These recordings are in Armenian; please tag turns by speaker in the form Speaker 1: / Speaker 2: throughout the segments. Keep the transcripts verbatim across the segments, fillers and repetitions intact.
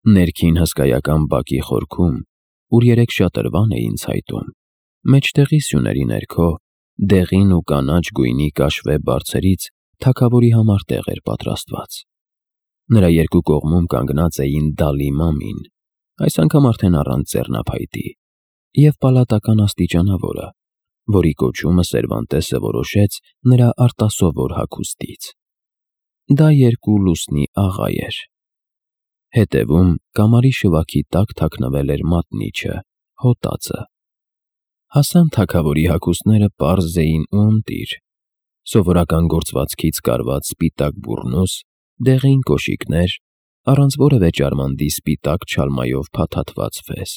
Speaker 1: Ներքին հսկայական բակի խորքում, ուր երեք շատրվան էին ցայտում, մեջտեղի սյուների ներքո, դեղին ու կանաչ գույնի կաշվե բարձերից թագավորի համար տեղ էր պատրաստված։ Նրա երկու կողմում կանգնած էին Դալի Մամին, այս անգամ արդեն առանց ձեռնափայտի, և պալատական աստիճանավորը, որի կոչումը Սերվանտեսը որոշեց նրա արտասովոր հագուստից։ Դա երկու լուսնի աղա էր։ Հետևում կամարի շվաքի տակ թաքնվել էր մատնիչը, հոտածը։ Հասան թագավորի հագուստները պարզ էին ու ընտիր, սովորական գործվածքից կարված սպիտակ բուռնուս, դեղին կոշիկներ, առանց որևէ ջարմանդի սպիտակ չալմայով փաթաթված ֆես։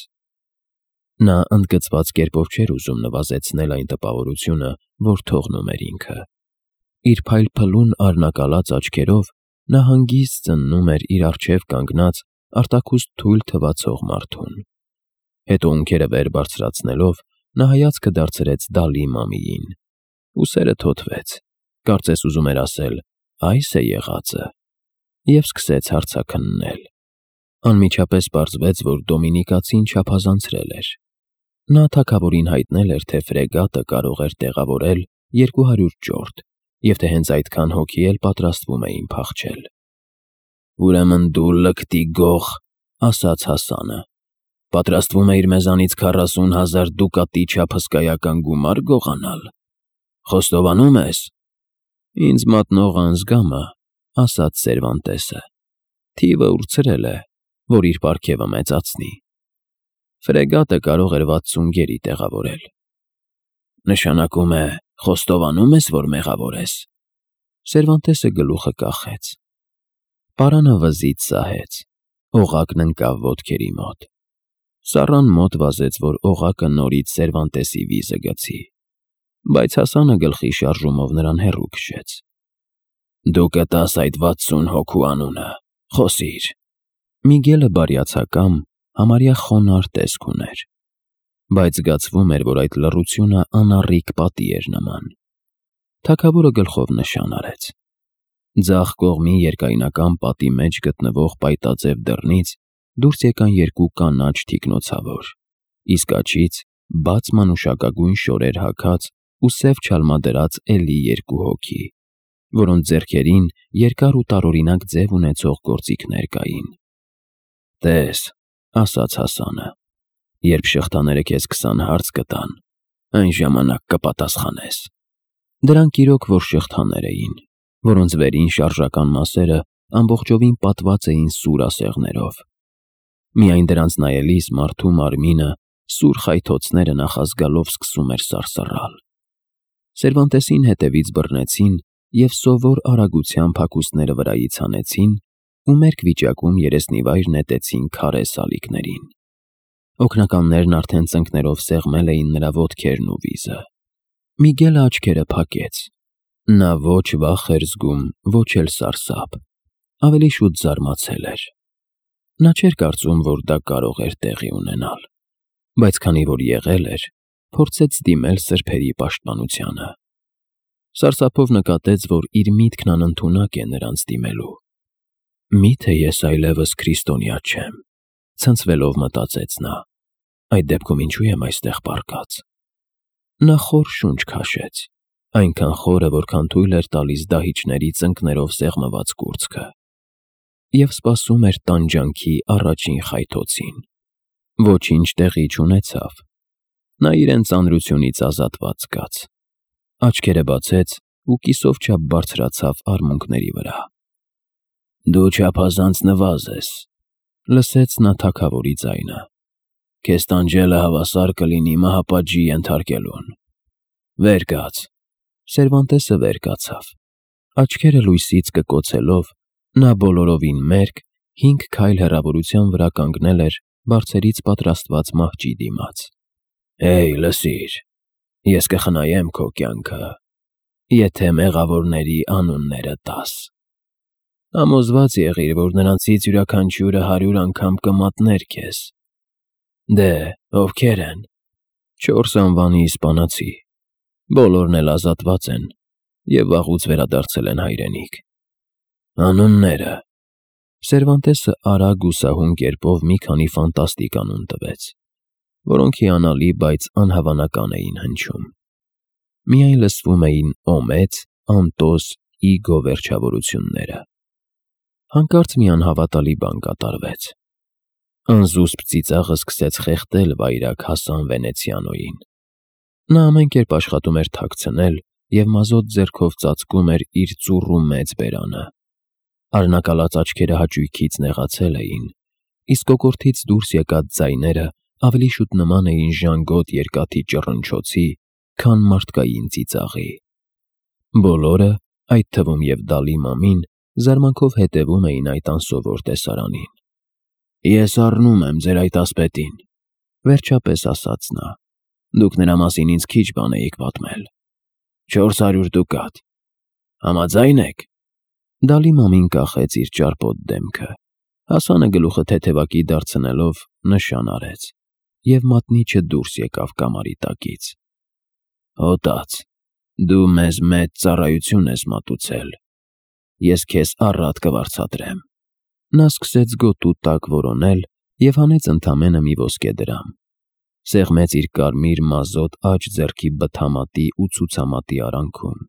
Speaker 1: Նա ընդգծված կերպով չէր ուզում նվազեցնել այն տպավորությունը, որ թողնում էր ինքը։ Իր փայլփլուն առնակալած աչքերով նա հանգիստ զննում էր իր առջև կանգնած արտաքուստ թույլ թվացող մարդուն։ Հետո ունքերը վեր բարձրացնելով նա հայացքը դարձրեց Դալի Մամիին։ Ուսերը թոթվեց, կարծես ուզում էր ասել. «Այս է եղածը», և սկսեց հարցաքննել։ Անմիջապես պարզվեց, որ Դոմինիկացին չափազանցրել էր։ Նա թագավորին հայտնել էր, թե ֆրեգատը կարող էր տեղավորել երկու հարյուր ճորտ, և թե հենց այդքան հոգի էլ պատրաստվում էին փախչել։ «Ուրեմն դու լկտի գող», ասաց Հասանը, «պատրաստվում էիր մեզանից քառասուն հազար դուկատի չափ հսկայական գումար գողանալ։ Խոստովանում ես»։ «Ինձ մատնող անձգամը», ասաց Սերվանտեսը, «թիվը ուրցրել է, որ իր պարգևը մեծացնի։ Ֆրեգատը կարող էր վաթսուն գերի տեղավորել»։ «Նշանակում է, խոստովանում ես, որ մեղավոր ես»։ Սերվանտեսը գլուխը կախեց։ Պարանը վզից սահեց, օղակն ընկավ ոտքերի մոտ։ Սառան մոտ վազեց, որ օղակը նորից Սերվանտեսի վիզը գցի, բայց Հասանը գլխի շարժումով նրան հեռու քշեց։ «Դու կտաս այդ վաթսուն հոգու անունը, խոսիր»։ Միգելը բարյացակամ, համարյա խոնարհ տեսք ուներ, բայց զգացվում էր, որ այդ լռությունը անառիկ պատի էր նման։ Թագավորը գլխով նշան արեց։ Ձախ կողմի երկայնական պատի մեջ գտնվող պայտաձև դռնից դուրս եկան երկու կանաչ թիկնոցավոր, իսկ աջից բաց մանուշակագույն շորեր հագած ու սև չալմադրած էլի երկու հոգի, որոնց ձեռքերին երկար ու տարօրինակ ձև ունեցող գործիքներ կային։ «Տես», ասաց Հասանը, «երբ շղթաները քեզ քսան հարց կտան, այն ժամանակ կպատասխանես»։ Դրանք իրոք որ շղթաներ էին, որոնց վերին շարժական մասերը ամբողջովին պատված էին սուր ասեղներով։ Միայն դրանց նայելիս մարդու մարմինը, սուր խայթոցները նախազգալով սկսում էր սարսռալ։ Սերվանտեսին հետևից բռնեցին և սովոր արագությամբ հագուստները վրայից հանեցին ու մերկ վիճակում երեսնիվայր նետեցին քարե սալիկներին։ Օգնականներն արդեն ծնկներով սեղմել էին նրա ոտքերն ու վիզը։ Միգելը աչքերը փակեց։ Նա ոչ վախ էր զգում, ոչ էլ սարսափ, ավելի շուտ զարմացել էր։ Նա չէր կարծում, որ դա կարող էր տեղի ունենալ, բայց քանի որ եղել էր, փորձեց դիմել սրբերի պաշտպանությանը։ Սարսափով նկատեց, որ իր միտքն անընդունակ է նրանց դիմելու։ «Մի՞թե ես այլևս քրիստոնյա չեմ», ցնցվելով մտածեց նա, «այդ դեպքում ինչու եմ այստեղ պառկած»։ Նա խոր շունչ քաշեց, այնքան խորը, որքան թույլ էր տալիս դահիճների ծնկներով սեղմված կուրծքը, և սպասում էր տանջանքի առաջին խայթոցին։ Ոչինչ տեղի չունեցավ։ Նա իրեն ծանրությունից ազատված զգաց։ Աչքերը բացեց ու կիսով չափ բարձրացավ արմունկների վրա։ «Դու չափազանց նվազ ես», լսեց նա թագավորի ձայնը։ «Քեզ տանջելը հավասար կլինի մահապատժի ենթարկելուն։ Վեր կաց»։ Սերվանտեսը վեր կացավ։ Աչքերը լույսից կկոցելով, նա բոլորովին մերկ, հինգ քայլ հեռավորության վրա կանգնել էր բարձերից պատրաստված մահճի դիմաց։ «Հեյ, լսիր, ես կխնայեմ քո կյանքը, եթե մեղավորների անունները տաս։ Համոզված եղիր, որ նրանցից յուրաքանչյուրը հարյուր անգամ կմատներ քեզ։ Դե, ովքեր են»։ «Չորս անվանի իսպանացի, բոլորն էլ ազատված են և վաղուց վերադարձել են հայրենիք»։ «Անուննե՞րը»։ Սերվանտեսը արագ ու սահուն կերպով մի քանի ֆանտաստիկ անուն տվեց, որոնք հիանալի, բայց անհավանական էին հնչում։ Միայն լսվում էին օմեց, անտոս, իգո վերջավորությունները։ Հանկարծ մի անհավատալի բան կատարվեց։ Անզուսպ ծիծաղը սկսեց խեղդել վայրագ Հասան Վենեցիանոյին։ Նա ամեն կերպ աշխատում էր թաքցնել և մազոտ ձեռքով ծածկում էր իր ծուռ ու մեծ բերանը։ Արնակալած աչքերը հաճույքից նեղացել էին, իսկ կոկորդից դուրս եկած ձայները ավելի շուտ նման էին ժանգոտ երկաթի ճռնչոցի, քան մարդկային ծիծաղի։ Բոլորը, այդ թվում և Դալի Մամին, զարմանքով հետևում էին այդ անսովոր տեսարանին։ «Ես առնում եմ ձեր այդ ասպետին», վերջապես ասաց նա։ «Դուք նրա մասին ինձ քիչ բան էիք պատմել։ Չորս հարյուր դուկատ։ Համաձա՞յն եք»։ Դալի Մամին կախեց իր ճարպոտ դեմքը։ Հասանը գլուխը թեթևակի դարձնելով նշան արեց, և մատնիչը դուրս եկավ կամարի տակից։ «Հոտած, դու մեզ մեծ ծառայություն ես մատուցել։ Ես քեզ առատ կվարձատրեմ»։ Նա սկսեց գոտու տակ որոնել և հանեց ընդամենը մի ոսկե դրամ։ Սեղմեց իր կարմիր մազոտ աջ ձեռքի բթամատի ու ցուցամատի արանքում,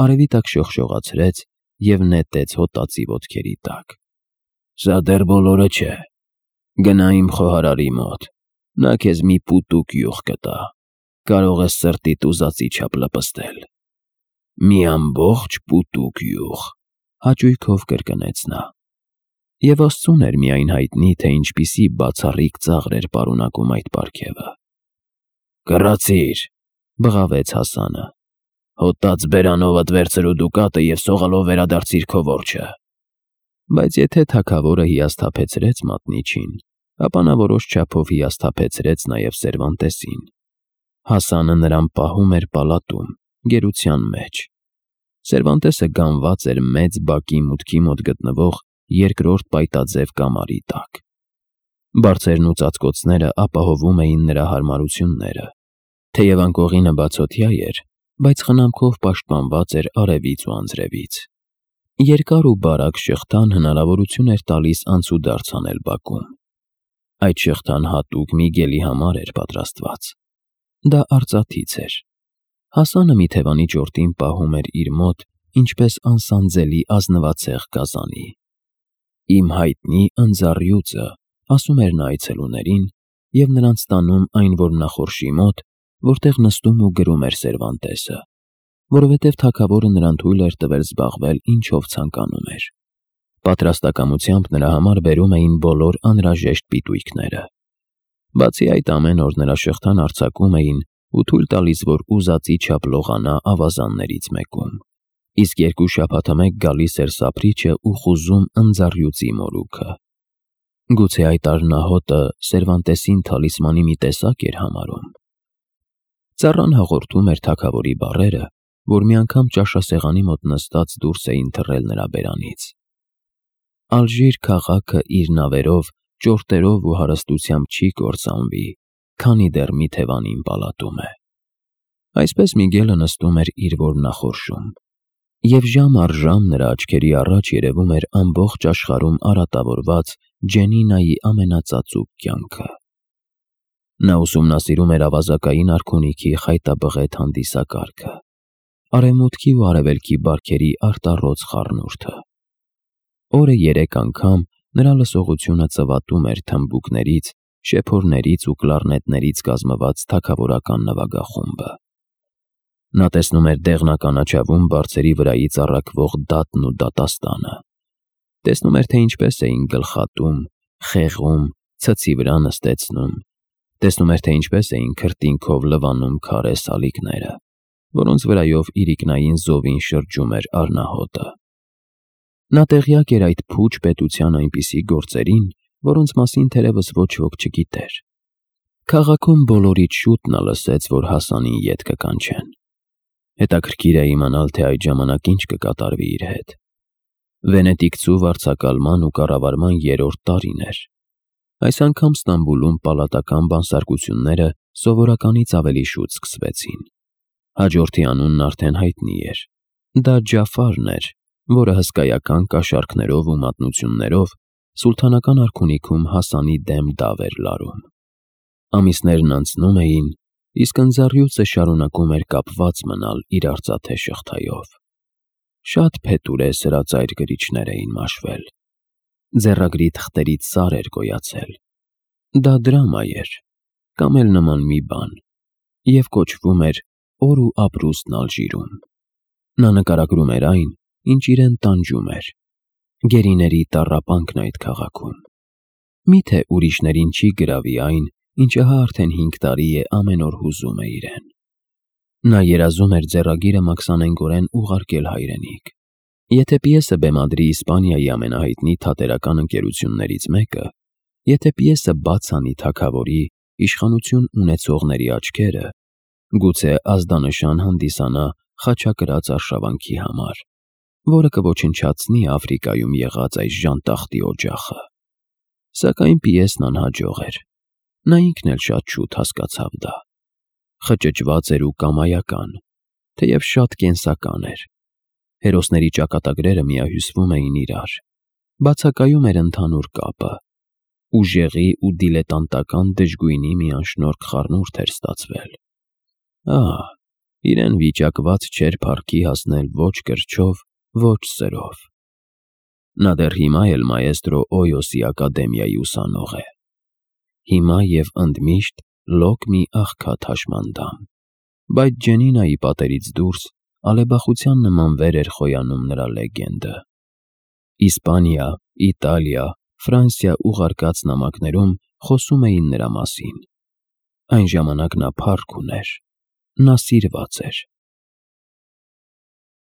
Speaker 1: արևի տակ շողշողացրեց և նետեց հոտածի ոտքերի տակ։ «Սա դեռ բոլորը չէ։ Գնա իմ խոհարարի մոտ, նա քեզ մի պուտուկ յուղ կտա, կարող ես սրտիդ ուզածի չափ լպստել»։ «Մի ամբողջ պուտուկ յուղ», հաճույքով կրկնեց նա։ Եվ Աստծուն էր միայն հայտնի, թե ինչպիսի բացառիկ ծաղր էր պարունակում այդ պարգևը։ «Կռացիր», բղավեց Հասանը։ «Հոտած բերանովդ վերցրու դուկատը և սողալով վերադարձիր քո որջը»։ Բայց եթե թագավորը հիասթափեցրեց մատնիչին, ապա նա որոշ չափով հիասթափեցրեց նաև Սերվանտեսին։ Հասանը նրան պահում էր պալատում, գերության մեջ։ Սերվանտեսը գանված էր մեծ բակի մուտքի մոտ գտնվող երկրորդ պայտաձև կամարի տակ։ Բարձերն ու ծածկոցները ապահովում էին նրա հարմարությունները։ Թեև անկողինը բացօթյա էր, բայց խնամքով պաշտպանված էր արևից ու անձրևից։ Երկար ու բարակ շղթան հնարավորություն էր տալիս անցուդարձ անել բակում։ Այդ շղթան հատուկ մի գելի համար էր պատրաստված։ Դա արծաթից էր։ Հասանը մի թևանի ճորտին պահում էր իր մոտ ինչպես անսանձելի ազնվացեղ գազանի։ «Իմ հայտնի ընձառյուծը», ասում էր նա այցելուներին, և նրանց տանում այն որմնախորշի մոտ, որտեղ նստում ու գրում էր Սերվանտեսը, որովհետև թագավորը նրան թույլ էր տվել զբաղվել ինչով ցանկանում էր։ Պատրաստակամությամբ նրա համար բերում էին բոլոր անհրաժեշտ պիտույքները։ Բացի այդ, ամեն օր նրա շղթան արձակում էին ու թույլ տալիս, որ ուզածի չափ լողանա ավազաններից մեկում, իսկ երկու շաբաթամեկ գալիս էր սափրիչը ու խուզում ընձառյուծի մորուքը։ Գուցե այդ առնահոտը Սերվանտեսին թալիսմանի մի տեսակ էր համարում։ Ծառան հաղորդում էր թագավորի բառերը, որ մի անգամ ճաշասեղանի մոտ նստած դուրս էին թռել նրա բերանից։ Ալժիր քաղաքը իր նավերով, ճորտերով ու հարստությամբ չի կործանվի, քանի դեռ մի թևանին պալատում է։ Այսպես Միգելը նստում էր իր որմնախորշում, և ժամ առ ժամ նրա աչքերի առաջ երևում էր ամբողջ աշխարհում արատավորված Ջենինայի ամենածածուկ կյանքը։ Նա ուսումնասիրում էր ավազակային արքունիքի խայտաբղետ հանդիսակարգը, արևմուտքի ու արևելքի բարքերի արտառոց խառնուրդը։ Օրը երեք անգամ նրա լսողությունը ծվատում էր թմբուկներից, շեփորներից ու կլարնետներից կազմված թագավորական նվագախումբը։ Նա տեսնում էր դեղնականաչավում բարձերի վրայից առաքվող դատն ու դատաստանը, տեսնում էր, թե ինչպես էին գլխատում, խեղում, ցցի վրա նստեցնում, տեսնում էր, թե ինչպես էին քրտինքով լվանում քարե սալիկները, որոնց վրայով իրիկնային զովին շրջում էր առնահոտը։ Նա տեղյակ էր այդ փուչ պետության այնպիսի գործերին, որոնց մասին թերևս ոչ ոք չգիտեր։ Քաղաքում բոլորից շուտ նա լսեց, որ Հասանին ետ կկանչեն։ Հետաքրքիր է իմանալ, թե այդ ժամանակ ինչ կկատարվի իր հետ։ Վենետիկցու վարձակալման ու կառավարման երրորդ տարին էր։ Այս անգամ Ստամբուլում պալատական բանսարկությունները սովորականից ավելի շուտ սկսվեցին։ Հաջորդի անունն արդեն հայտնի էր։ Դա Ջաֆարն էր, որը հսկայական կաշառքներով ու մատնություններով սուլթանական արքունիքում Հասանի դեմ դավ էր լարում։ Ամիսներն անցնում էին, իսկ ընձառյուծը շարունակում էր կապված մնալ իր արծաթե շղթայով։ Շատ փետուրե սրածայր գրիչներ էին մաշվել։ Ձեռագրի թղթերից սար էր գոյացել։ Դա դրամա էր, կամ էլ նման մի բան, և կոչվում էր «Օր ու ապրուստն Ալժիրում»։ Նա նկարագրում էր այն, ինչ իրեն տանջում էր, գերիների տառապանքն այդ քաղաքում։ Մի՞թե ուրիշներին չի գրավի այն, ինչը հա արդեն հինգ տարի է ամեն օր հուզում է իրեն։ Նա երազում էր ձեռագիրը մաքսանենգորեն ուղարկել հայրենիք։ Եթե պիեսը բեմադրի Իսպանիայի ամենահայտնի թատերական ընկերություններից մեկը, եթե պիեսը բաց անի թագավորի, իշխանություն ունեցողների աչքերը, գուցե ազդանշան հանդիսանա խաչակրաց արշավանքի համար, որը կոչնչացնի Աֆրիկայում եղած այս ժանտախտի օջախը։ Սակայն պիեսն անհաջող էր։ Նա ինքն էլ շատ շուտ հասկացավ դա։ Խճճված էր ու կամայական, թեև շատ կենսական էր։ Հերոսների ճակատագրերը միահյուսվում էին իրար։ Բացակայում էր ընդհանուր կապը։ Ուժեղի ու դիլետանտական դժգույնի մի անշնորհք խառնուրդ էր ստացվել։ Ահ, իրեն վիճակված չէր փառքի հասնել ոչ կրչով, ոչ սրով։ Նա դեռ հիմա էլ մաեստրո Օյոսի ակադեմիայի ուսանող է։ Հիմա և ընդմիշտ լոկ մի աղքատ հաշմանդամ։ Բայց Ջենինայի պատերից դուրս ալեբախության նման վեր էր խոյանում նրա լեգենդը։ Իսպանիա, Իտալիա, Ֆրանսիա ուղարկած նամակներում խոսում էին նրա մասին։ Այն ժամանակ նա փառք ուներ։ Նա սիրված էր։